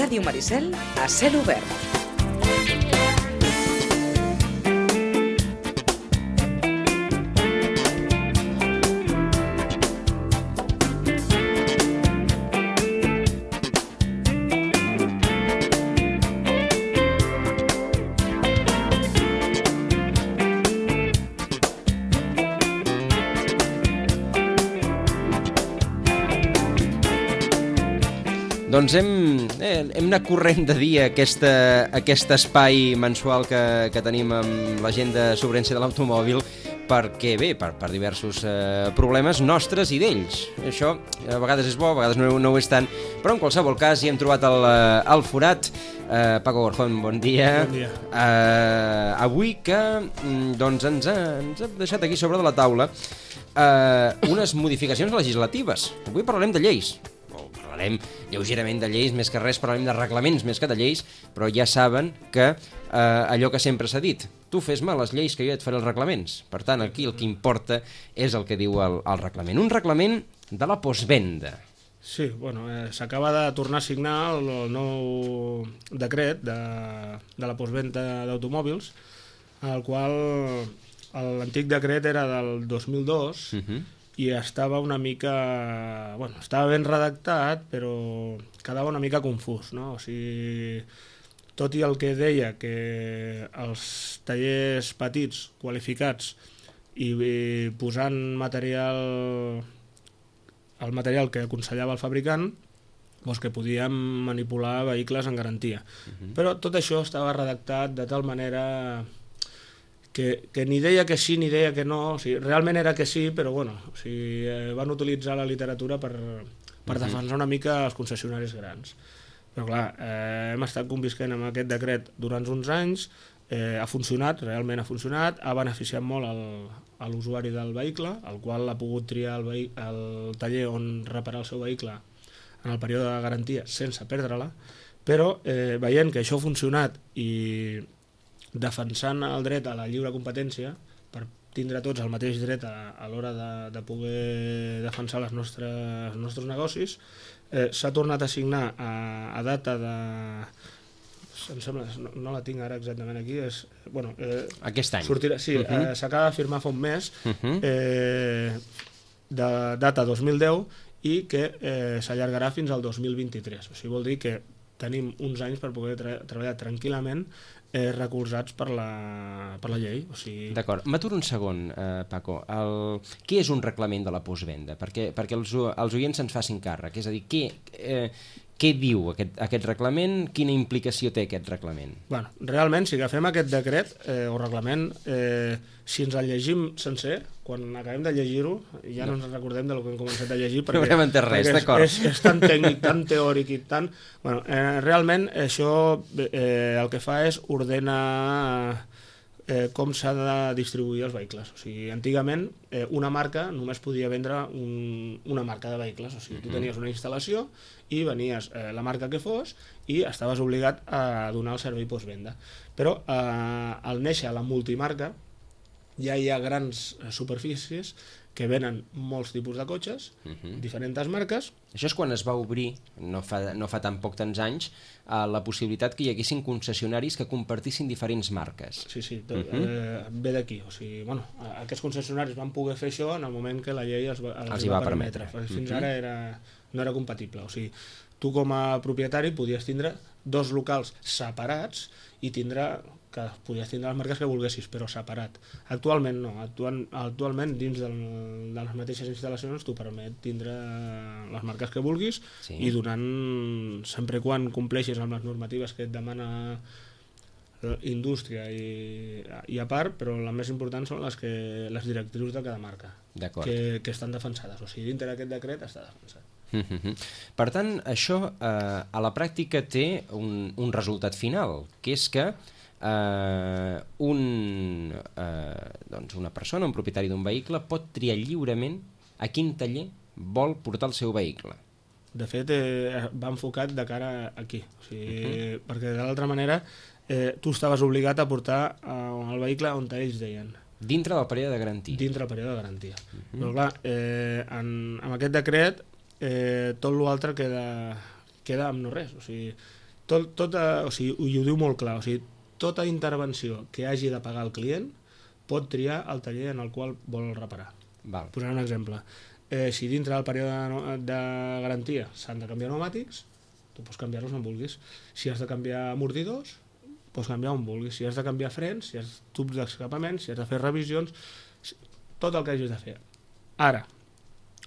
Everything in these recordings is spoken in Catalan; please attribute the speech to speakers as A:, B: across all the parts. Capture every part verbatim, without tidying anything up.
A: Ràdio Maricel a cel obert.
B: Doncs hem, eh, hem anat corrent de dia aquesta, aquest espai mensual que, que tenim amb la gent de Sobrència de l'Automòbil perquè, bé, per, per diversos eh, problemes nostres i d'ells. Això a vegades és bo, a vegades no, no ho és tant, però en qualsevol cas hi hem trobat el, el forat. Eh, Paco Gorjón, bon dia.
C: Bon dia.
B: Eh, avui que doncs ens, ha, ens ha deixat aquí sobre de la taula eh, unes modificacions legislatives. Avui parlarem de lleis. Parlarem lleugerament de lleis, més que res parlarem de reglaments més que de lleis, però ja saben que eh, allò que sempre s'ha dit, tu fes-me les lleis que jo et faré els reglaments. Per tant, aquí el que importa és el que diu el, el reglament. Un reglament de la postvenda.
C: Sí, bueno, eh, s'acaba de tornar a signar el, el nou decret de, de la postvenda d'automòbils, el qual l'antic decret era del dos mil dos, uh-huh. i estava una mica... Bueno, estava ben redactat, però quedava una mica confús, no? O sigui, tot i el que deia que els tallers petits, qualificats, i, i posant material... el material que aconsellava el fabricant, doncs que podíem manipular vehicles en garantia. Uh-huh. Però tot això estava redactat de tal manera... Que, que ni deia que sí ni deia que no, o sigui, realment era que sí, però bueno, o sigui, eh, van utilitzar la literatura per, per uh-huh. defensar una mica els concessionaris grans. Però clar, eh, hem estat convisquent amb aquest decret durant uns anys, eh, ha funcionat, realment ha funcionat, ha beneficiat molt el, a l'usuari del vehicle, el qual ha pogut triar el, vehi, el taller on reparar el seu vehicle en el període de garantia sense perdre-la, però eh, veient que això ha funcionat i defensant el dret a la lliure competència per tindre tots el mateix dret a, a l'hora de, de poder defensar les nostres, els nostres negocis, eh, s'ha tornat a signar a, a data de... Em sembla, no, no la tinc ara exactament aquí, és... Bueno, eh,
B: aquest any.
C: Sortirà, sí, uh-huh. eh, s'acaba de firmar fa un mes, uh-huh. eh, de data dos mil deu, i que eh, s'allargarà fins al dos mil vint-i-tres. O sigui, vol dir que tenim uns anys per poder tra- treballar tranquil·lament eh, recolzats per la, per la llei. O sigui...
B: D'acord. M'aturo un segon, eh, Paco. El... Què és un reglament de la postvenda? Perquè, perquè els, els oients se'ns facin càrrec. És a dir, què, eh, què diu aquest, aquest reglament? Quina implicació té aquest reglament?
C: Bueno, realment, si agafem aquest decret eh, o reglament, eh, si ens el llegim sencer, quan acabem de llegir-ho, ja no, no ens recordem del que hem començat a llegir, perquè,
B: no haurem entès res, d'acord.
C: És, és, és tan tècnic, tan teòric i tan... Bueno, eh, realment això eh, el que fa és ordenar eh, com s'ha de distribuir els vehicles. O sigui, antigament eh, una marca només podia vendre un, una marca de vehicles. O sigui, tu tenies una instal·lació i venies eh, la marca que fos i estaves obligat a donar el servei postvenda. Però eh, al néixer la multimarca ja hi ha grans superfícies que venen molts tipus de cotxes, uh-huh. diferents marques.
B: Això és quan es va obrir, no fa, no fa tan poc tants anys, eh, la possibilitat que hi haguessin concessionaris que compartissin diferents marques.
C: Sí, sí, tot, uh-huh. eh, ve d'aquí. O sigui, bueno, aquests concessionaris van poder fer això en el moment que la llei els, va, els, els va, va permetre. permetre. Fins uh-huh. ara era, no era compatible. O sigui, tu com a propietari podies tindre dos locals separats i tindre... que podies tindre les marques que volguessis, però separat. Actualment no. Actual, actualment, dins del, de les mateixes instal·lacions, t'ho permet tindre les marques que vulguis sí. i donant, sempre quan compleixis amb les normatives que et demana indústria i, i a part, però les més importants són les, que, les directrius de cada marca que, que estan defensades. O sigui, dintre d'aquest decret està defensat.
B: Mm-hmm. Per tant, això eh, a la pràctica té un, un resultat final, que és que Uh, un, uh, doncs una persona, un propietari d'un vehicle pot triar lliurement a quin taller vol portar el seu vehicle.
C: De fet, eh, va enfocat de cara aquí, o sigui, uh-huh. perquè de l'altra manera eh, tu estaves obligat a portar uh, el vehicle on ells deien.
B: Dintre del període de garantia.
C: Dintre del període de garantia. Uh-huh. Però clar, eh, en, amb aquest decret eh, tot l'altre queda, queda amb no res, o sigui, tot, tota, o sigui, i ho diu molt clar, o sigui, tota intervenció que hagi de pagar el client pot triar el taller en el qual vol reparar.
B: Val.
C: Posaré un exemple. Eh, si dintre del període de, de garantia s'han de canviar pneumàtics, tu pots canviar-los on vulguis. Si has de canviar amortidors, pots canviar on vulguis. Si has de canviar frens, si has tubs d'escapament, si has de fer revisions, tot el que hagis de fer. Ara,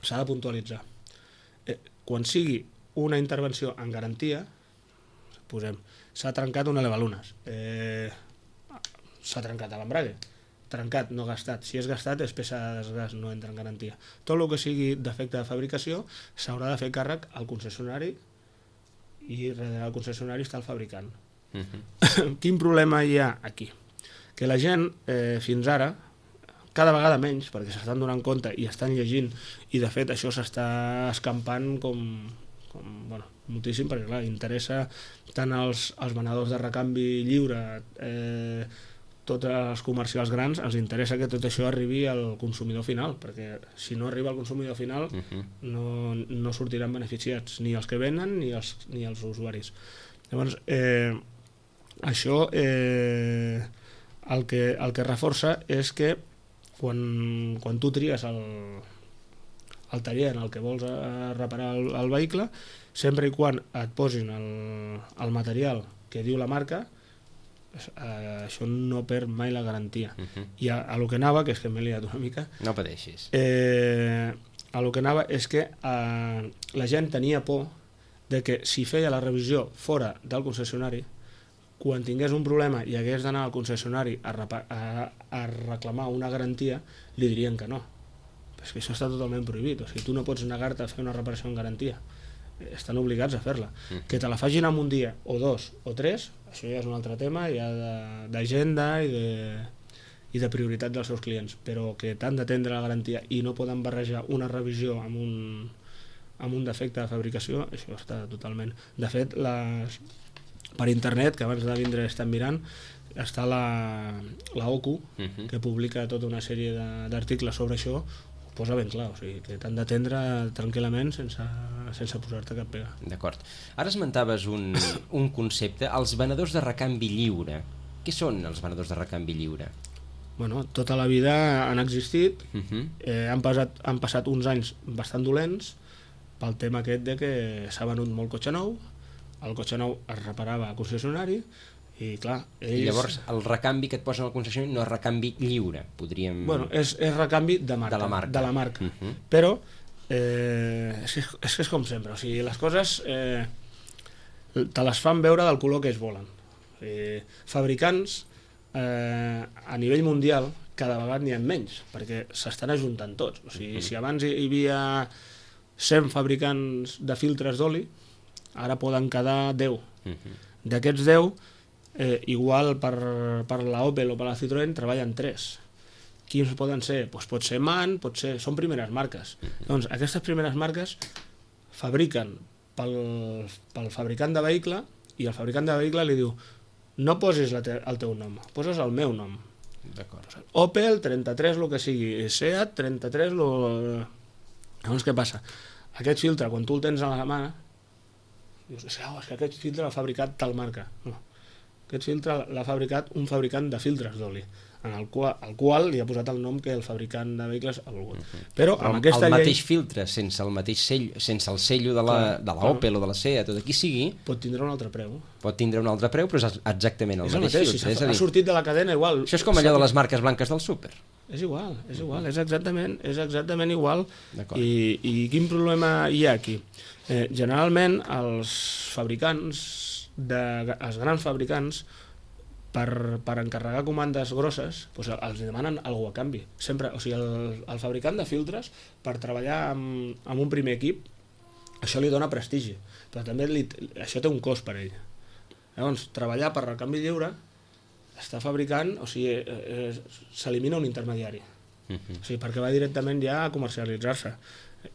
C: s'ha de puntualitzar. Eh, quan sigui una intervenció en garantia, posem, s'ha trencat una elevalunes, eh, s'ha trencat l'embrague, trencat, no gastat. Si és gastat, és peça de desgast, no entra en garantia. Tot el que sigui defecte de fabricació s'haurà de fer càrrec al concessionari i darrere del concessionari està el fabricant. Uh-huh. Quin problema hi ha aquí? Que la gent, eh, fins ara, cada vegada menys, perquè s'estan donant compte i estan llegint, i de fet això s'està escampant com, com bueno, moltíssim, perquè clar, interessa tant als, als venedors de recanvi lliure, eh, tots els comercials grans, els interessa que tot això arribi al consumidor final, perquè si no arriba al consumidor final uh-huh. no, no sortiran beneficiats ni els que venen ni els, ni els usuaris. Llavors, eh, això eh, el, que, el que reforça és que quan, quan tu tries el, el taller en el que vols reparar el, el vehicle, sempre i quan et posin el, el material que diu la marca, Uh, això no perd mai la garantia. Uh-huh. I a, a lo que anava, que és que m'he liat una mica,
B: no pateixis,
C: eh, a lo que anava és que uh, la gent tenia por de que si feia la revisió fora del concessionari, quan tingués un problema i hagués d'anar al concessionari a, repa- a, a reclamar una garantia, li dirien que no. És que això està totalment prohibit, o sigui, tu no pots negar-te a fer una reparació en garantia, estan obligats a fer-la. Uh-huh. Que te la facin en un dia o dos o tres, això ja és un altre tema, ja d'agenda i de, i de prioritat dels seus clients, però que t'han d'atendre la garantia i no poden barrejar una revisió amb un, amb un defecte de fabricació, això està totalment... De fet, les, per internet, que abans de vindre estem mirant, està la, la O C U, uh-huh. que publica tota una sèrie d'articles sobre això, posa ben clar, o sigui, que t'han d'atendre tranquil·lament sense, sense posar-te cap pega.
B: D'acord. Ara esmentaves un, un concepte, els venedors de recanvi lliure. Què són els venedors de recanvi lliure?
C: Bueno, tota la vida han existit, uh-huh. eh, han, passat, han passat uns anys bastant dolents pel tema aquest de que s'ha venut molt cotxe nou, el cotxe nou es reparava a concessionari, i clar, ells...
B: I llavors el recanvi que et posen al concessionari no és recanvi lliure, podríem...
C: Bueno, és, és recanvi de marca,
B: de la marca,
C: de la marca.
B: Uh-huh.
C: Però eh, és, que, és que és com sempre, o sigui, les coses eh, te les fan veure del color que es volen. Eh, fabricants eh, a nivell mundial cada vegada n'hi ha menys, perquè s'estan ajuntant tots. O sigui, uh-huh. si abans hi havia cent fabricants de filtres d'oli, ara poden quedar deu. Uh-huh. D'aquests deu, Eh, igual per, per la Opel o per la Citroën treballen tres. Quins poden ser? Pues pot ser MAN, pot ser... són primeres marques. Doncs aquestes primeres marques fabriquen pel, pel fabricant de vehicle, i el fabricant de vehicle li diu no posis la te, el teu nom, poses el meu nom.
B: D'acord.
C: Opel, trenta-tres, el que sigui, Seat, trenta-tres, lo... Llavors què passa? Aquest filtre, quan tu el tens a la mà, dius, oh, és que aquest filtre l'ha fabricat tal marca. No. Aquest filtre l'ha fabricat un fabricant de filtres d'oli, en el qual, el qual li ha posat el nom que el fabricant de vehicles ha volgut. Uh-huh. Però amb
B: el,
C: aquesta
B: el
C: llei...
B: mateix filtre, sense el mateix sell, sense el sello de la, clar, de la Opel clar. O de la Seat o de qui sigui...
C: Pot tindre un altre preu.
B: Pot tindre un altre preu, però és exactament el,
C: és el
B: mateix,
C: mateix filtre. Si ha sortit de la cadena, igual...
B: Això és com allò de les marques blanques del súper.
C: És igual, és igual, és exactament, és exactament igual. I, I quin problema hi ha aquí? Eh, generalment, els fabricants, de, els grans fabricants, per, per encarregar comandes grosses, doncs els demanen alguna a canvi. Sempre, o sigui, el, el fabricant de filtres, per treballar amb, amb un primer equip, això li dona prestigi, però també li, això té un cost per ell. Llavors, treballar per recanvi lliure està fabricant, o sigui, eh, s'elimina un intermediari. Uh-huh. O sigui, perquè va directament ja a comercialitzar-se.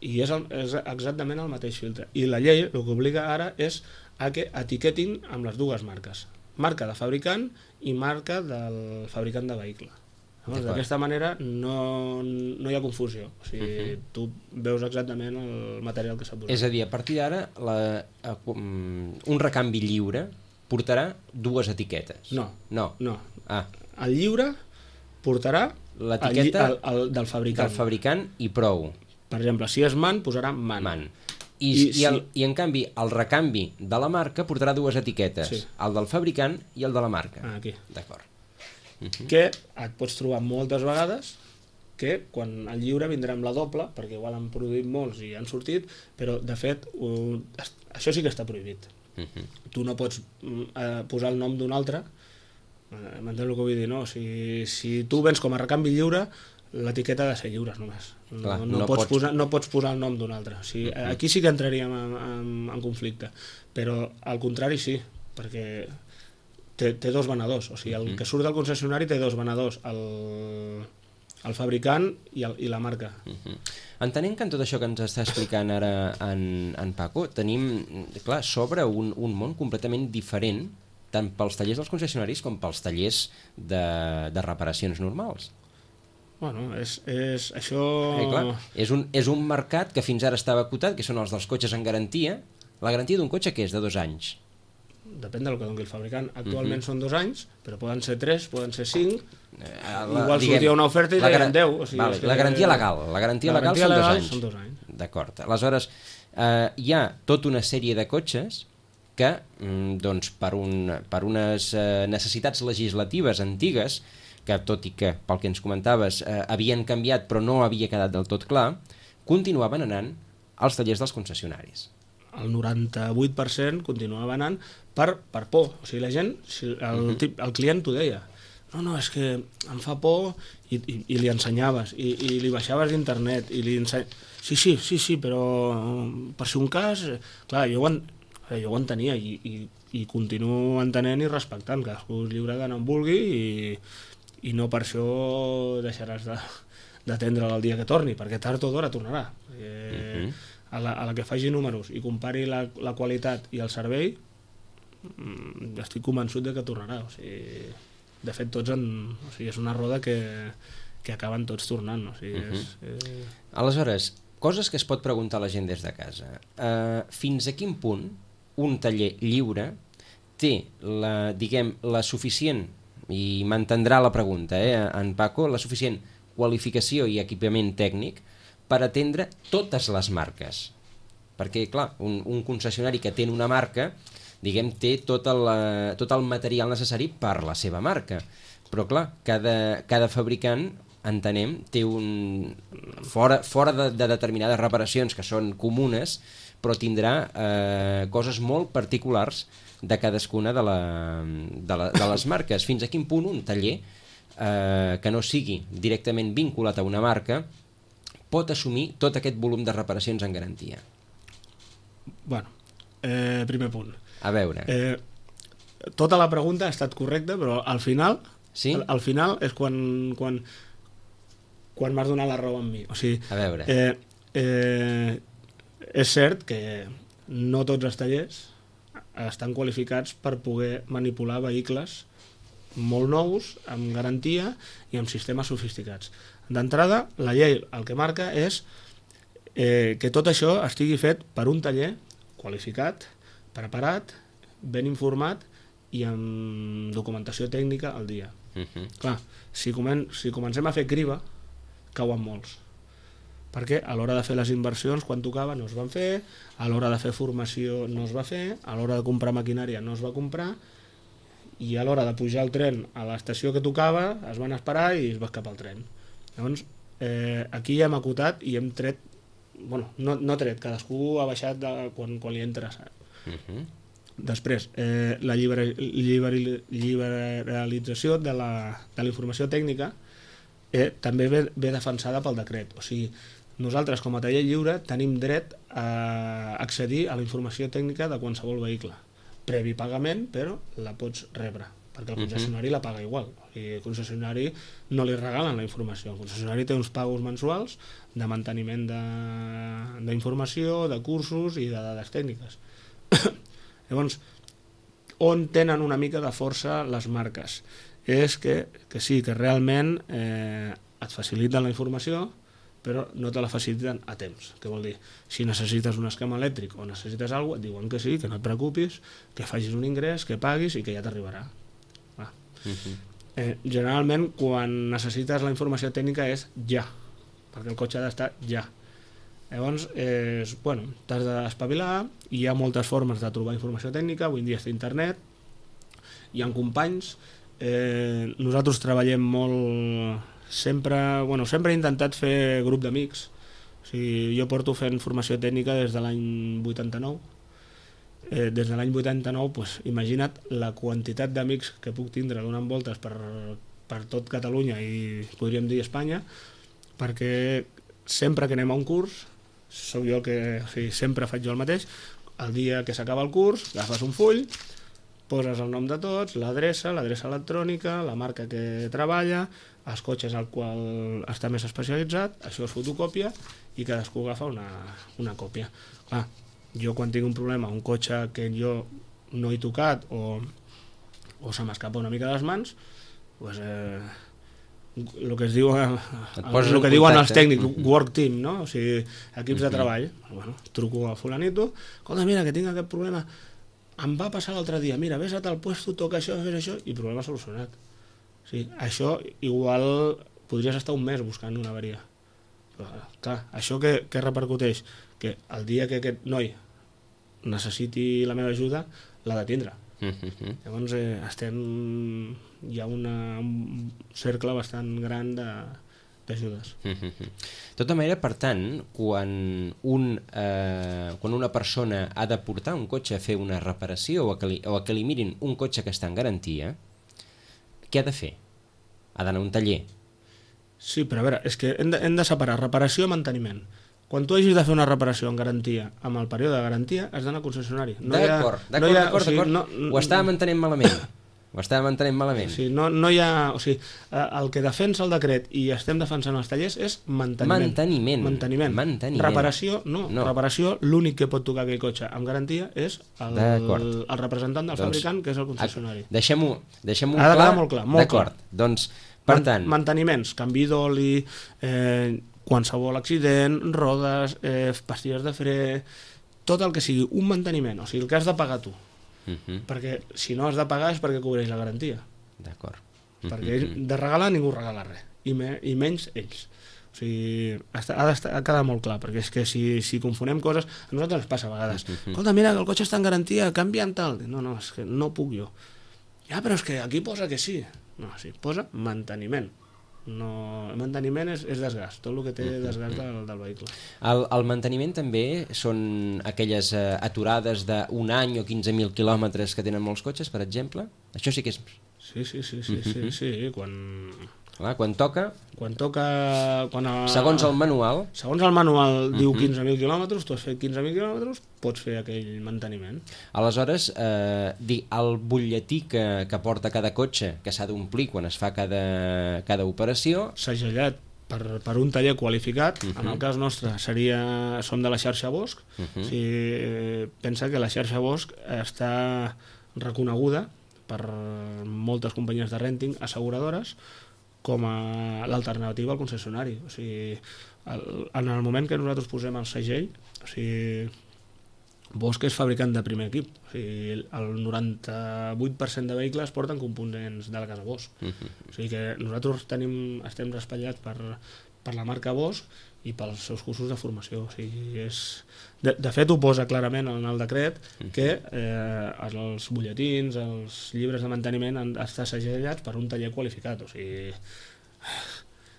C: I és, el, és exactament el mateix filtre. I la llei el que obliga ara és a que etiquetin amb les dues marques. Marca de fabricant i marca del fabricant de vehicle. Llavors, d'aquesta manera no, no hi ha confusió. O sigui, uh-huh. tu veus exactament el material que s'ha posat.
B: És a dir, a partir d'ara, la, un recanvi lliure portarà dues etiquetes.
C: No.
B: No.
C: no.
B: Ah.
C: El lliure portarà
B: l'etiqueta
C: el, el, el del fabricant.
B: Del fabricant i prou.
C: Per exemple, si és man, posarà man.
B: Man. I,
C: I,
B: i, el,
C: si...
B: I en canvi, el recanvi de la marca portarà dues etiquetes. Sí. El del fabricant i el de la marca.
C: Ah, aquí.
B: D'acord. Uh-huh.
C: Que et pots trobar moltes vegades que quan el lliure vindrà amb la doble, perquè igual han produït molts i han sortit, però de fet uh, això sí que està prohibit. Uh-huh. Tu no pots uh, posar el nom d'un altre, uh, m'entens el que vull dir, no? Si, si tu vens com a recanvi lliure, l'etiqueta ha de ser lliure només. No, Clar, no, no, pots pots... Posar, no pots posar el nom d'un altre. O sigui, uh-huh. Aquí sí que entraríem en, en, en conflicte, però al contrari sí, perquè Té, té dos venedors, o sigui, el que surt del concessionari té dos venedors, el, el fabricant i, el, i la marca.
B: Uh-huh. Entenent que en tot això que ens està explicant ara en, en Paco, tenim, clar, sobre un, un món completament diferent, tant pels tallers dels concessionaris com pels tallers de, de reparacions normals.
C: Bueno, és, és això...
B: Eh, clar, és, un, és un mercat que fins ara estava acotat, que són els dels cotxes en garantia. La garantia d'un cotxe, què és? De dos anys?
C: Depèn del que doni el fabricant. Actualment uh-huh. són dos anys, però poden ser tres, poden ser cinc. Eh, la, Igual diguem, sortia una oferta i deien deu. O sigui,
B: vale, la garantia legal. La garantia
C: la
B: legal
C: garantia
B: són,
C: legal
B: dos anys.
C: són dos anys.
B: D'acord. Aleshores, eh, hi ha tota una sèrie de cotxes que, mm, doncs, per, un, per unes eh, necessitats legislatives antigues, que tot i que, pel que ens comentaves, eh, havien canviat però no havia quedat del tot clar, continuaven anant als tallers dels concessionaris.
C: El noranta-vuit per cent continuava anant per, per por. O sigui, la gent, el, uh-huh. tip, el client t'ho deia. No, no, és que em fa por i, i, i li ensenyaves, i, i li baixaves d'internet, i li enseny... Sí, sí, sí, sí, però per si un cas... Clar, jo ho, en, jo ho entenia i, i, i continuo entenent i respectant. Cadascú és lliure d'anar on vulgui i, i no per això deixaràs de, d'atendre'l el dia que torni, perquè tard o d'hora tornarà. Eh, uh-huh. A la, a la que faci números i compari la, la qualitat i el servei, estic convençut de que tornarà. O sigui, de fet, tots en, o sigui, és una roda que, que acaben tots tornant. O sigui,
B: uh-huh.
C: és, eh...
B: Aleshores, coses que es pot preguntar la gent des de casa. Uh, fins a quin punt un taller lliure té la, diguem, la suficient, i m'entendrà la pregunta, eh, en Paco, la suficient qualificació i equipament tècnic per atendre totes les marques. Perquè, clar, un, un concessionari que té una marca, diguem, té tot el, tot el material necessari per la seva marca. Però, clar, cada, cada fabricant, entenem, té un... Fora, fora de, de determinades reparacions que són comunes, però tindrà eh, coses molt particulars de cadascuna de, la, de, la, de les marques. Fins a quin punt un taller eh, que no sigui directament vinculat a una marca pot assumir tot aquest volum de reparacions en garantia?
C: Bueno, eh, primer punt.
B: A veure.
C: Eh, tota la pregunta ha estat correcta, però al final,
B: sí?
C: al, al final és quan, quan, quan m'has donat la raó amb mi. O sigui,
B: a veure.
C: Eh, eh, és cert que no tots els tallers estan qualificats per poder manipular vehicles molt nous, amb garantia i amb sistemes sofisticats. D'entrada, la llei el que marca és eh, que tot això estigui fet per un taller qualificat, preparat, ben informat i amb documentació tècnica al dia. Uh-huh. Clar, si, comen si comencem a fer criba, cauen molts. Perquè a l'hora de fer les inversions, quan tocava, no es van fer, a l'hora de fer formació no es va fer, a l'hora de comprar maquinària no es va comprar, i a l'hora de pujar el tren a l'estació que tocava es van esperar i es va escapar el tren. Llavors, eh, aquí hem acotat i hem tret, bueno, no, no tret, cadascú ha baixat de, quan, quan li ha interessat. Uh-huh. Després, eh, la lliber, lliber, liberalització de la, de la informació tècnica eh, també ve, ve defensada pel decret. O sigui, nosaltres com a taller lliure tenim dret a accedir a la informació tècnica de qualsevol vehicle. Previ pagament, però la pots rebre, perquè el concessionari la paga igual. I el concessionari no li regalen la informació. El concessionari té uns pagos mensuals de manteniment d'informació, de, de cursos i de dades tècniques. Llavors, on tenen una mica de força les marques? és que, que sí, que realment eh, et faciliten la informació, però no te la faciliten a temps. Què vol dir? Si necessites un esquema elèctric o necessites alguna cosa, et diuen que sí, que no et preocupis, que facis un ingrés, que paguis i que ja t'arribarà. Va. Uh-huh. Eh, generalment, quan necessites la informació tècnica és ja, perquè el cotxe ha d'estar ja. Llavors, eh, bueno, t'has d'espavilar, hi ha moltes formes de trobar informació tècnica, avui en dia és internet, hi ha companys, eh, nosaltres treballem molt... Sempre, bueno, sempre he intentat fer grup d'amics. O sigui, jo porto fent formació tècnica des de l'any vuitanta-nou. Eh, des de l'any vuitanta-nou, pues, imagina't la quantitat d'amics que puc tindre donant voltes per, per tot Catalunya i podríem dir Espanya, perquè sempre que anem a un curs, sóc jo que, o sigui, sempre faig jo el mateix, el dia que s'acaba el curs, agafes un full, poses el nom de tots, l'adreça, l'adreça electrònica, la marca que treballa, els cotxes al qual està més especialitzat, això es fotocòpia i cadascú agafa una, una còpia. Clar, jo quan tinc un problema, un cotxe que jo no he tocat o, o se m'escapa una mica de les mans, pues, eh, el que es diu el, el que diuen els tècnics, work team, no? O sigui, equips de treball. Bueno, truco a fulanito, escolta, mira, que tinc aquest problema, em va passar l'altre dia, mira, vés a tal puesto, toca això, fes això, i problema solucionat. Sí, això igual podries estar un mes buscant una avaria. Però, clar, això que, que repercuteix? Que el dia que aquest noi necessiti la meva ajuda, l'ha de tindre. Mm-hmm. Llavors eh, estem... hi ha una, un cercle bastant gran d'ajudes.
B: Mm-hmm. De tota manera, per tant, quan, un, eh, quan una persona ha de portar un cotxe a fer una reparació o a que li, o a que li mirin un cotxe que està en garantia, què ha de fer? Ha d'anar a un taller.
C: Sí, però a veure, és que hem de, hem de separar reparació i manteniment. Quan tu hagis de fer una reparació en garantia, amb el període de garantia, has d'anar al concessionari. No
B: d'acord,
C: ha,
B: d'acord,
C: no ha,
B: d'acord,
C: o sigui,
B: d'acord.
C: No,
B: ho estàvem entenent malament. Ho estàvem entenent malament.
C: Sí, no, no hi ha... O sigui, el que defensa el decret i estem defensant els tallers és manteniment.
B: Manteniment.
C: Manteniment.
B: Manteniment.
C: Reparació, no.
B: no.
C: Reparació, l'únic que pot tocar aquell cotxe amb garantia és el, el representant del doncs, fabricant, que és el concessionari.
B: Deixem-ho deixem
C: ha de quedar molt clar. Molt
B: d'acord.
C: Clar.
B: Doncs, per tant...
C: Manteniments, canvi d'oli, eh, qualsevol accident, rodes, eh, pastilles de fre, tot el que sigui un manteniment, o sigui, el que has de pagar tu. Uh-huh. Perquè si no has de pagar és perquè cobreix la garantia.
B: D'acord.
C: Uh-huh. Perquè de regalar ningú regala res, i, me, i menys ells. O sigui, ha de quedar molt clar, perquè és que si, si confonem coses, a nosaltres ens passa a vegades. Uh-huh. Escolta, mira, que el cotxe està en garantia, canvia'm tal. No, no, és que no puc jo. Ja, però és que aquí posa que sí. No, sí, posa manteniment. No, el manteniment és, és desgast, tot el que té desgast del, del vehicle.
B: El, el manteniment també són aquelles eh, aturades d'un any o quinze mil quilòmetres que tenen molts cotxes, per exemple? Això sí que és...
C: Sí, sí, sí, sí, sí, sí, sí. Quan...
B: Clar, quan toca...
C: Quan toca... Quan a...
B: Segons el manual...
C: Segons el manual diu quinze mil quilòmetres, tu has fet quinze mil quilòmetres, pots fer aquell manteniment.
B: Aleshores, eh, el butlletí que, que porta cada cotxe, que s'ha d'omplir quan es fa cada, cada operació...
C: Segellat per, per un taller qualificat, uh-huh. En el cas nostre seria, som de la xarxa Bosch, uh-huh. O sigui, pensa que la xarxa Bosch està reconeguda per moltes companyies de renting, asseguradores, com a l'alternativa al concessionari. O sigui, el, en el moment que nosaltres posem el segell, o sigui, Bosch és fabricant de primer equip. O sigui, el noranta-vuit per cent de vehicles porten components de la casa Bosch. Uh-huh. O sigui que nosaltres tenim, estem respallats per, per la marca Bosch i pels seus cursos de formació. O sigui, és... de, de fet, ho posa clarament en el decret que eh, els butlletins, els llibres de manteniment han d'estar segellats per un taller qualificat. O sigui,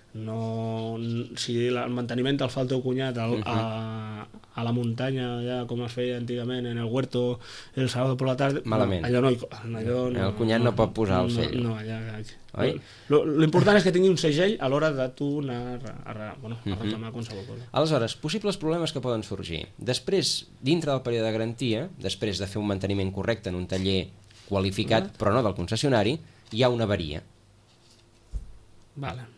C: no, si el manteniment te'l fa el teu cunyat al, a, a la muntanya, ja com es feia antigament en el huerto el sábado por la tarde,
B: malament.
C: No, allò no, allò no,
B: el cunyat no, no pot posar el sell.
C: No, no, allà, l'important és que tingui un segell a l'hora de tu anar a, a, bueno, a reclamar qualsevol cosa.
B: Aleshores, possibles problemes que poden sorgir. Després, dintre del període de garantia, després de fer un manteniment correcte en un taller qualificat, però no del concessionari, hi ha una avaria.
C: Vale.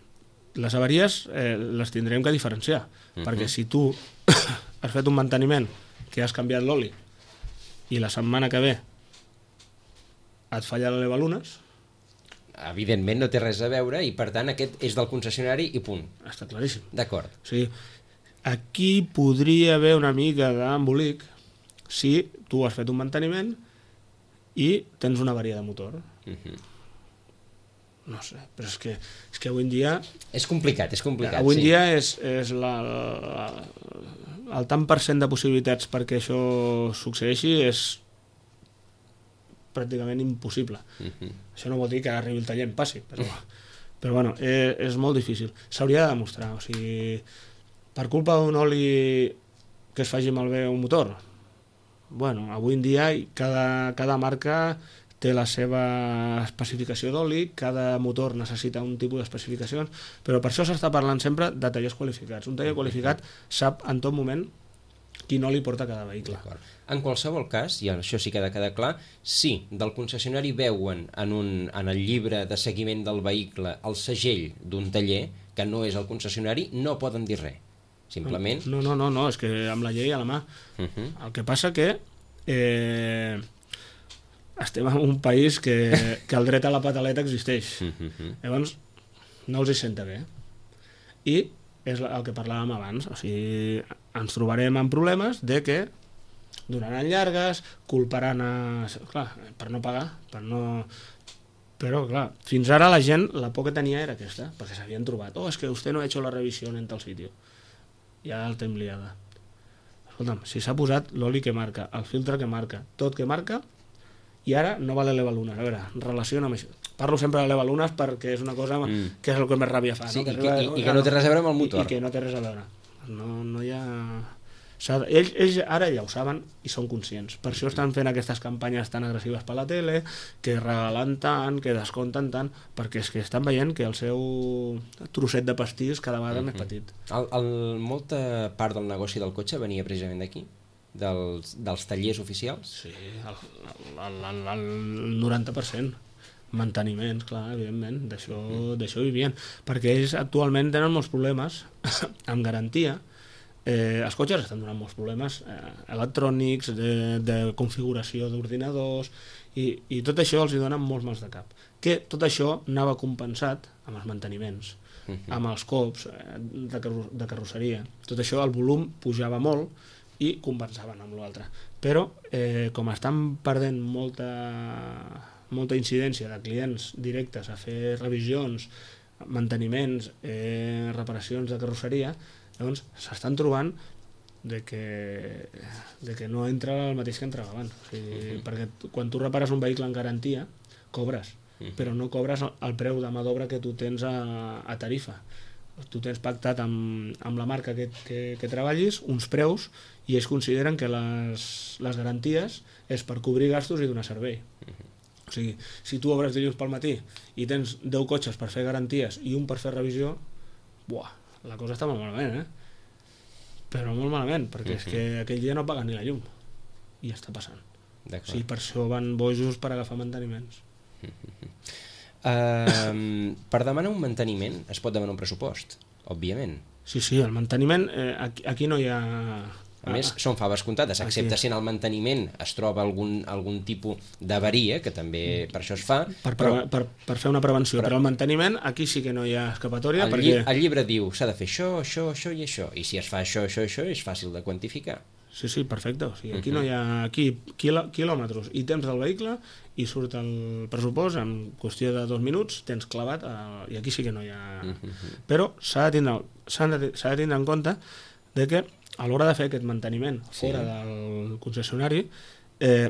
C: Les avaries eh, les tindrem que diferenciar, uh-huh. Perquè si tu has fet un manteniment que has canviat l'oli i la setmana que ve et falla l'elevalunes,
B: evidentment no té res a veure i, per tant, aquest és del concessionari i punt.
C: Està claríssim.
B: D'acord.
C: O sigui, aquí podria haver una mica d'embolic si tu has fet un manteniment i tens una avaria de motor.
B: Uh-huh.
C: No sé, però és que, és que avui en dia...
B: És complicat, és complicat,
C: avui en
B: sí.
C: dia és, és la, la, el tant per cent de possibilitats perquè això succeeixi és pràcticament impossible. Uh-huh. Això no vol dir que arribi el taller en passi, però, però bueno, és, és molt difícil. S'hauria de demostrar, o sigui, per culpa d'un oli que es faci malbé un motor, bueno, avui en dia cada, cada marca té la seva especificació d'oli, cada motor necessita un tipus d'especificacions, però per això s'està parlant sempre de tallers qualificats. Un taller qualificat sap en tot moment quin oli porta cada vehicle.
B: En qualsevol cas, i això sí que ha de quedar clar, si del concessionari veuen en, un, en el llibre de seguiment del vehicle el segell d'un taller, que no és el concessionari, no poden dir res. Simplement...
C: No, no, no, no, és que amb la llei a la mà. Uh-huh. El que passa que eh, estem en un país que, que el dret a la pataleta existeix. Uh-huh. Llavors, no els hi senta bé. I és el que parlàvem abans, o sigui, ens trobarem en problemes de que donaran llargues, culparan a... Clar, per no pagar, per no... Però, clar, fins ara la gent, la por que tenia era aquesta, perquè s'havien trobat. Oh, és que vostè no ha hecho la revisión en tal sitio. Ja el tem liada. Escolta'm, si s'ha posat l'oli que marca, el filtre que marca, tot que marca, i ara no val l'elevalunes. A veure, relaciona amb això. Parlo sempre de l'elevalunes perquè és una cosa mm. que és el que més ràbia fa.
B: Sí,
C: no?
B: i, que, i, i que no té res a veure amb el motor.
C: I, i que no té res a veure. No, no hi ha... Ells, ells ara ja ho saben i són conscients. Per això estan fent aquestes campanyes tan agressives per la tele, que regalen tant, que descompten tant, perquè és que estan veient que el seu trosset de pastís cada vegada uh-huh. més petit.
B: El, el, molta part del negoci del cotxe venia precisament d'aquí? Dels, dels tallers oficials?
C: Sí, el, el, el, el noranta per cent. Manteniments, clar, evidentment, d'això uh-huh. d'això vivien. Perquè ells actualment tenen molts problemes amb garantia. Eh, els cotxes estan donant molts problemes eh, electrònics, de, de configuració d'ordinadors i, i tot això els hi dona molts mals de cap, que tot això anava compensat amb els manteniments, uh-huh. amb els cops eh, de, carro de carrosseria, tot això el volum pujava molt i compensaven amb l'altre, però eh, com estan perdent molta, molta incidència de clients directes a fer revisions, manteniments, eh, reparacions de carrosseria, llavors s'estan trobant de que, de que no entra el mateix que entrava abans. O sigui, uh-huh. perquè quan tu repares un vehicle en garantia, cobres, uh-huh. però no cobres el, el preu de mà d'obra que tu tens a, a tarifa. Tu tens pactat amb, amb la marca que, que, que treballis uns preus i ells consideren que les, les garanties és per cobrir gastos i donar servei. Uh-huh. O sigui, si tu obres dilluns pel matí i tens deu cotxes per fer garanties i un per fer revisió, buah, la cosa està molt malament, eh? Però molt malament, perquè uh-huh. és que aquell dia no paguen ni la llum. I ja està passant. O sigui, per això van bojos per agafar manteniments.
B: Uh-huh. uh, per demanar un manteniment es pot demanar un pressupost, òbviament.
C: Sí, sí, el manteniment, eh, aquí, aquí no hi ha...
B: A més, són faves comptades, excepte si en el manteniment es troba algun, algun tipus d'avaria, que també per això es fa.
C: Per, però, per, per fer una prevenció, però, però el manteniment aquí sí que no hi ha escapatòria.
B: El,
C: perquè...
B: lli el llibre diu s'ha de fer això, això, això i això, i si es fa això, això, això, és fàcil de quantificar.
C: Sí, sí, perfecte. O sigui, aquí uh-huh. no hi ha aquí quilò, quilòmetres i temps del vehicle i surt el pressupost en qüestió de dos minuts, tens clavat, a... i aquí sí que no hi ha... Uh-huh. Però s'ha de, tindre, de, de tindre en compte de que a l'hora de fer aquest manteniment fora sí. del concessionari, eh,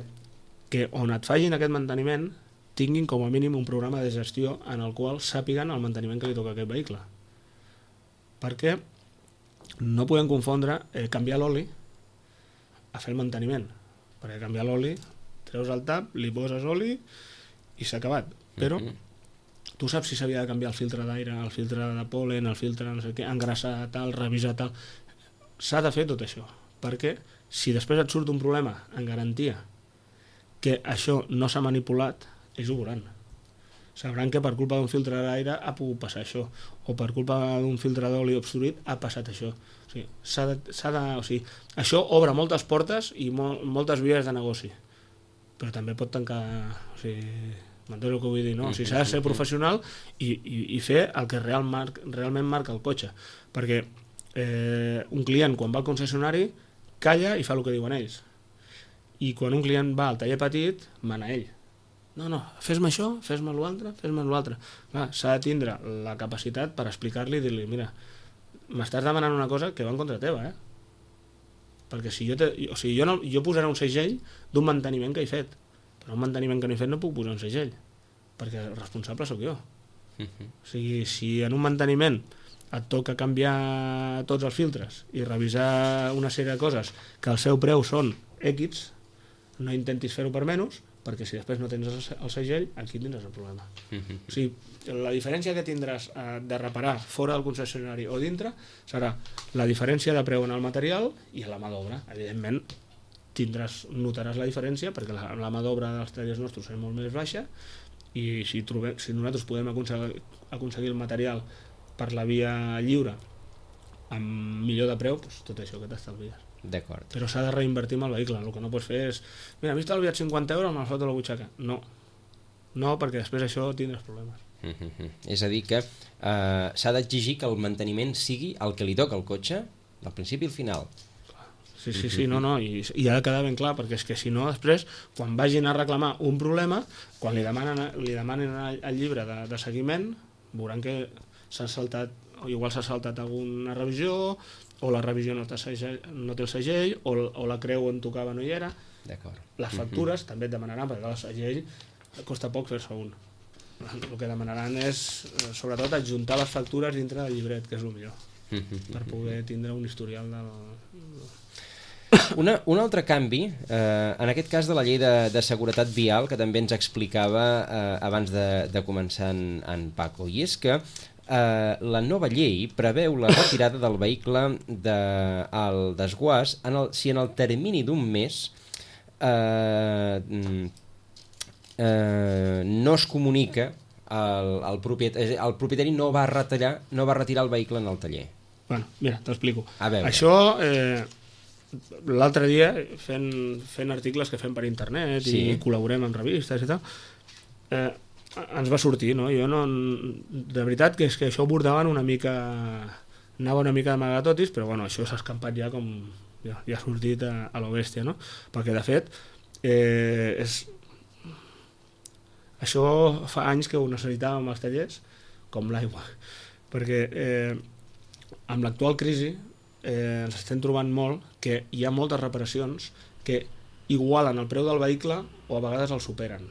C: que on et facin aquest manteniment tinguin com a mínim un programa de gestió en el qual sàpiguen el manteniment que li toca a aquest vehicle. Perquè no podem confondre eh, canviar l'oli a fer el manteniment. Perquè canviar l'oli, treus el tap, li poses oli i s'ha acabat. Però uh-huh. tu saps si s'havia de canviar el filtre d'aire, el filtre de pol·len, el filtre no sé què, engrassar tal, revisar tal... S'ha de fer tot això, perquè si després et surt un problema en garantia que això no s'ha manipulat, ells ho veuran. Sabran que per culpa d'un filtre d'aire ha pogut passar això, o per culpa d'un filtre d'oli obstruït ha passat això. O sigui, s'ha de, s'ha de, o sigui, això obre moltes portes i mol, moltes vies de negoci, però també pot tancar... O sigui, m'entens el que vull dir, no? O sigui, s'ha de ser professional i, i, i fer el que real mar, realment marca el cotxe, perquè eh, un client quan va al concessionari calla i fa el que diuen ells, i quan un client va al taller petit mana ell. No, no, fes-me això, fes-me l'altre, fes-me l'altre. S'ha de tindre la capacitat per explicar-li i dir-li, mira, m'estàs demanant una cosa que va en contra teva, eh? Perquè si jo, te, o sigui, jo, no, jo posaré un segell d'un manteniment que he fet, però un manteniment que no he fet no puc posar un segell, perquè el responsable sóc jo. Uh-huh. O sigui, si en un manteniment et toca canviar tots els filtres i revisar una sèrie de coses que el seu preu són X, no intentis fer-ho per menys, perquè si després no tens el segell, aquí tindràs el problema. Uh-huh. O sigui, la diferència que tindràs eh, de reparar fora del concessionari o dintre serà la diferència de preu en el material i la mà d'obra. Evidentment, tindràs, notaràs la diferència perquè la, la mà d'obra dels tallers nostres és molt més baixa i si, trobem, si nosaltres podem aconseguir, aconseguir el material per la via lliure amb millor de preu, doncs tot això que t'estalvies.
B: D'acord.
C: Però s'ha de reinvertir en el vehicle. El que no pots fer és, mira, m'he estalviat cinquanta euros, me'l foto a la butxaca. No, no, perquè després això tindràs problemes.
B: Mm-hmm. És a dir que eh, s'ha d'exigir que el manteniment sigui el que li toca al cotxe del principi al final.
C: Sí, sí, sí, no, no, i, i ha de quedar ben clar, perquè és que si no, després, quan vagin a reclamar un problema, quan li demanen, li demanen el llibre de, de seguiment, veuran que s'ha saltat, o igual s'ha saltat alguna revisió, o la revisió no té, segell, no té el segell, o, o la creu on tocava no hi era.
B: D'acord.
C: Les factures mm-hmm. també et demanaran, perquè el segell costa poc fer-se un. El que demanaran és, sobretot, adjuntar les factures dintre del llibret, que és el millor, mm-hmm. per poder tindre un historial del...
B: Una, un altre canvi, eh, en aquest cas de la llei de, de seguretat vial, que també ens explicava eh, abans de, de començar en, en Paco, i és que Uh, la nova llei preveu la retirada del vehicle de, al desguàs en el, si en el termini d'un mes uh, uh, no es comunica el, el, propietari, el propietari no va retirar, no va retirar el vehicle en el taller.
C: Bueno, mira, t'explico. Això, eh, l'altre dia, fent, fent articles que fem per internet sí. i col·laborem en revistes i tal, eh, ens va sortir, no? Jo no... De veritat que és que això abordaven una mica... Anava una mica d'amagatotis, però bueno, això s'ha escampat ja com... Ja, ja ha sortit a, a lo bèstia, no? Perquè, de fet, eh, és... Això fa anys que ho necessitàvem als tallers, com l'aigua. Perquè eh, amb l'actual crisi eh, ens estem trobant molt que hi ha moltes reparacions que igualen el preu del vehicle o a vegades el superen.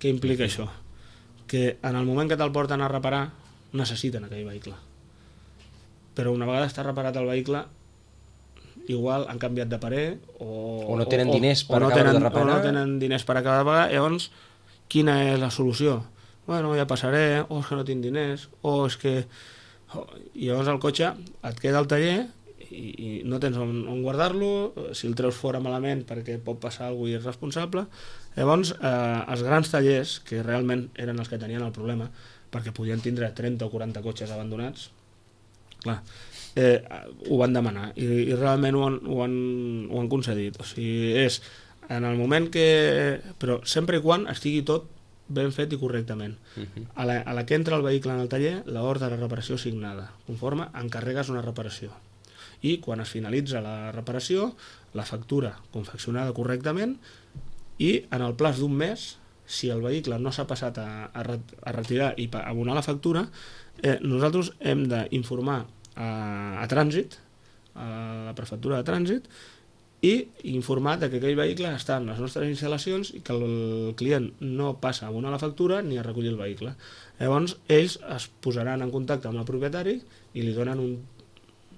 C: Què implica això? Que en el moment que te'l porten a reparar necessiten aquell vehicle. Però una vegada està reparat el vehicle, igual han canviat de parer o,
B: o no tenen
C: o,
B: diners per
C: no
B: acabar
C: tenen,
B: de reparar.
C: O no tenen diners per acabar de pagar. Llavors, quina és la solució? Bueno, ja passaré, o és que no tinc diners, o és que... I llavors el cotxe et queda al taller i, i no tens on, on guardar-lo, si el treus fora malament perquè pot passar alguna cosa irresponsable. Llavors, eh, els grans tallers, que realment eren els que tenien el problema, perquè podien tindre trenta o quaranta cotxes abandonats, clar, eh, ho van demanar i, i realment ho han, ho, han, ho han concedit. O sigui, és en el moment que... Però sempre i quan estigui tot ben fet i correctament. Uh-huh. A la, a la que entra el vehicle en el taller, l'ordre de reparació signada, conforme encarregues una reparació. I quan es finalitza la reparació, la factura confeccionada correctament, i en el plaç d'un mes, si el vehicle no s'ha passat a, a, a retirar i a abonar la factura, eh, nosaltres hem d'informar a, a trànsit, a la prefectura de trànsit, i informar que aquell vehicle està en les nostres instal·lacions i que el client no passa a abonar la factura ni a recollir el vehicle. Llavors, ells es posaran en contacte amb el propietari i li donen un,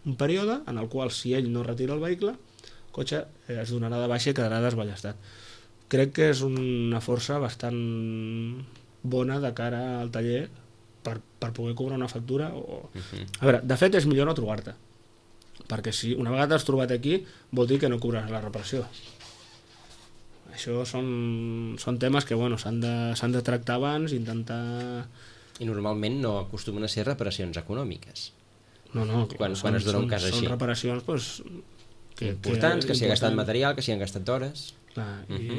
C: un període en el qual, si ell no retira el vehicle, el cotxe eh, es donarà de baixa i quedarà desballestat. Crec que és una força bastant bona de cara al taller per, per poder cobrar una factura. O... Uh-huh. A veure, de fet és millor no trobar-te, perquè si una vegada t'has trobat aquí vol dir que no cobraràs la reparació. Això són, són temes que bueno, s'han de, s'han de tractar abans, intentar...
B: I normalment no acostumen a ser reparacions econòmiques.
C: No, no,
B: quan, són, quan es dona un cas
C: són,
B: així.
C: Són reparacions pues,
B: que, importants, que, que s'hi ha gastat material, que s'hi han gastat hores.
C: Clar, uh-huh.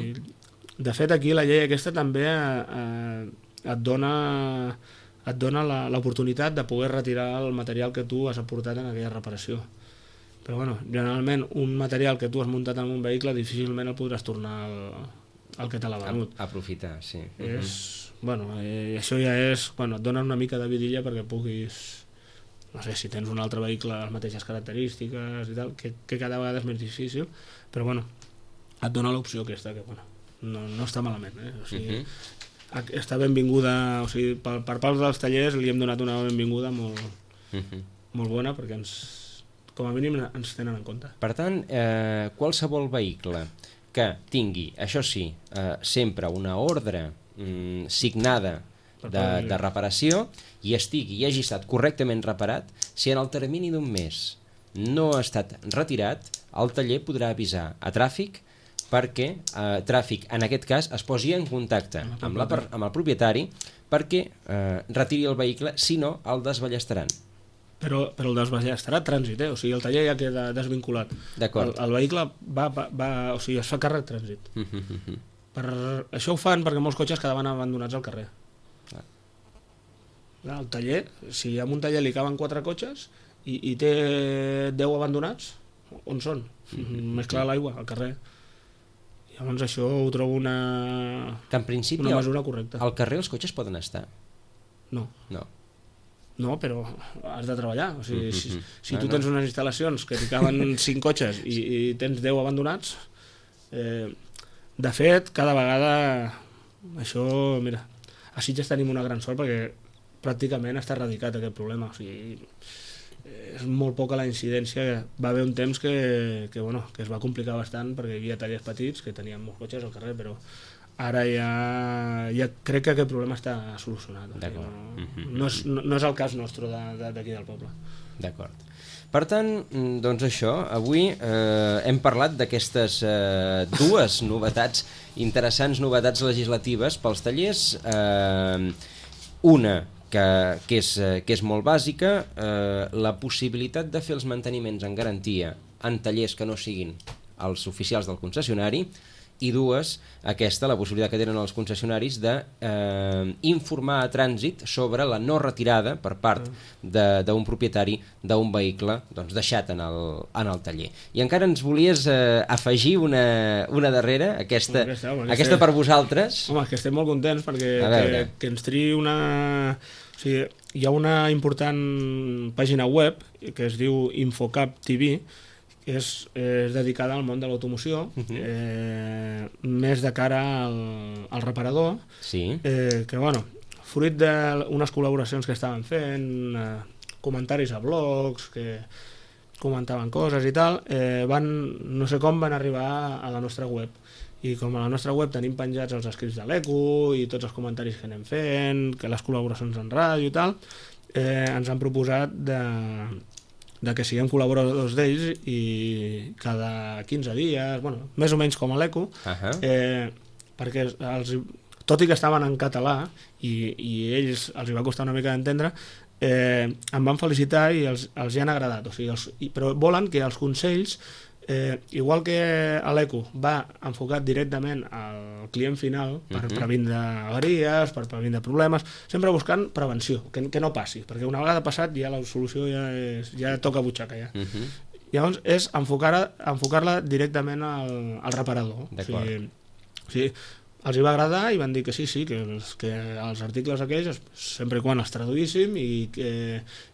C: I de fet, aquí la llei aquesta també eh, et dona, et dona l'oportunitat de poder retirar el material que tu has aportat en aquella reparació. Però bueno, generalment un material que tu has muntat en un vehicle difícilment el podràs tornar al, al que te l'ha venut.
B: Aprofitar, sí.
C: És, bueno, eh, això ja és, bueno, et dona una mica de vidilla perquè puguis, no sé, si tens un altre vehicle les mateixes característiques i tal, que, que cada vegada és més difícil, però bueno, et dona l'opció aquesta, que bueno, no, no està malament, eh? O sigui, uh -huh. està benvinguda, o sigui, per, per part dels tallers li hem donat una benvinguda molt, uh -huh. molt bona, perquè ens, com a mínim ens tenen en compte.
B: Per tant, eh, qualsevol vehicle que tingui, això sí, eh, sempre una ordre mm, signada de, de reparació i estigui i hagi estat correctament reparat, si en el termini d'un mes no ha estat retirat, el taller podrà avisar a tràfic perquè eh, tràfic, en aquest cas, es posi en contacte amb, la, amb el propietari perquè eh, retiri el vehicle, si no, el desballestaran.
C: Però, però el desballestarà a trànsit, eh? O sigui, el taller ja queda desvinculat.
B: D'acord.
C: El, el vehicle va, va, va, o sigui, es fa càrrec trànsit. Per, això ho fan perquè molts cotxes quedaven abandonats al carrer. Ah. El taller, si a un taller li caben quatre cotxes i, i té deu abandonats, on són? Més clar l'aigua, al carrer. Llavors això ho trobo una,
B: que en principi
C: una mesura correcta.
B: Al carrer els cotxes poden estar?
C: No.
B: No.
C: No, però has de treballar. O sigui, si, si tu tens unes instal·lacions que t'hi caben cinc cotxes i, i tens deu abandonats, eh, de fet, cada vegada això, mira, a Sitges tenim una gran sort perquè pràcticament està erradicat aquest problema. O sigui, és molt poca la incidència. Va haver un temps que, que, bueno, que es va complicar bastant perquè hi havia tallers petits que tenien molts cotxes al carrer, però ara ja, ja crec que aquest problema està solucionat. O sigui, no, no, és, no, no és el cas nostre d'aquí de, del poble.
B: D'acord. Per tant, doncs això, avui eh, hem parlat d'aquestes eh, dues novetats, interessants novetats legislatives pels tallers. Eh, una que, que, és, que és molt bàsica, eh, la possibilitat de fer els manteniments en garantia en tallers que no siguin els oficials del concessionari, i dues, aquesta, la possibilitat que tenen els concessionaris de eh, informar a trànsit sobre la no retirada per part d'un propietari d'un vehicle doncs, deixat en el, en el taller. I encara ens volies eh, afegir una, una darrera, aquesta, home, aquesta, home, aquesta per vosaltres.
C: Home, que estem molt contents perquè que, que ens triï una... O sigui, hi ha una important pàgina web que es diu Infocap T V, és, és dedicada al món de l'automoció, uh-huh. eh, més de cara al, al reparador,
B: sí.
C: eh, que, bueno, fruit d'unes col·laboracions que estaven fent, eh, comentaris a blogs, que comentaven coses i tal, eh, van, no sé com van arribar a la nostra web. I com a la nostra web tenim penjats els escrits de l'E C U i tots els comentaris que anem fent, que les col·laboracions en ràdio i tal, eh, ens han proposat de... de que siguem col·laboradors d'ells i cada quinze dies, bueno, més o menys com a l'E C U, uh-huh. eh, perquè els, tot i que estaven en català i, i ells els hi va costar una mica d'entendre, eh, em van felicitar i els, els hi han agradat, o sigui, els, i, però volen que els consells, eh, igual que l'E C U va enfocat directament al client final per uh-huh. previndre avaries, per previndre problemes, sempre buscant prevenció, que, que no passi, perquè una vegada passat ja la solució ja, és, ja toca butxaca ja. Uh-huh. Llavors és enfocar-la enfocar directament al, al reparador. O sigui, o sigui, els hi va agradar i van dir que sí, sí, que els, que els articles aquells sempre i quan els traduïssim i que,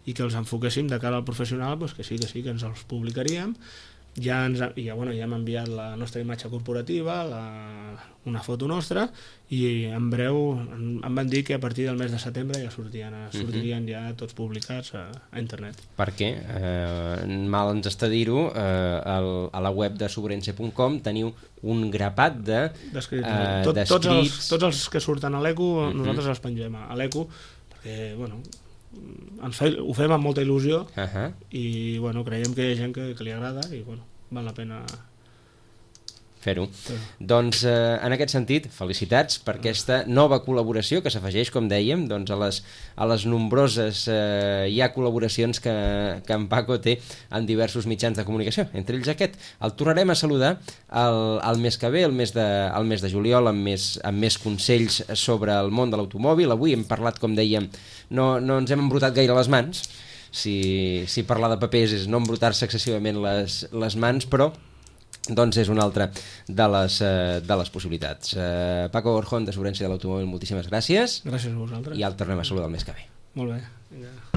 C: i que els enfoquéssim de cara al professional, doncs que sí, que sí, que ens els publicaríem. Ja, ens, ja, bueno, ja hem enviat la nostra imatge corporativa, la, una foto nostra, i en breu em, em van dir que a partir del mes de setembre ja sortien, sortirien ja tots publicats a, a internet.
B: Perquè, eh, mal ens està dir-ho, eh, el, a la web de Sobrense punt com teniu un grapat de
C: d'escrits. Eh, Tot, tots, els, tots els que surten a l'E C U, uh-huh. nosaltres els pengem a l'E C U, perquè, bueno... Ens fe, ho fem amb molta il·lusió uh-huh. i bueno, creiem que hi ha gent que, que li agrada i bueno, val la pena
B: fer-ho. Sí. Doncs eh, en aquest sentit, felicitats per aquesta nova col·laboració que s'afegeix, com dèiem, doncs a, les, a les nombroses eh, ja col·laboracions que, que en Paco té en diversos mitjans de comunicació. Entre ells aquest. El tornarem a saludar el, el mes que ve, el mes de, el mes de juliol, amb més, amb més consells sobre el món de l'automòbil. Avui hem parlat, com dèiem, no, no ens hem embrutat gaire les mans. Si, si parlar de papers és no embrutar-se excessivament les, les mans, però doncs és una altra de les, uh, de les possibilitats. Uh, Paco Gorjón, de Sobrència de l'Automòbil, moltíssimes gràcies.
C: Gràcies a vosaltres.
B: I el tornem a saludar el mes que ve.
C: Molt bé. Vinga.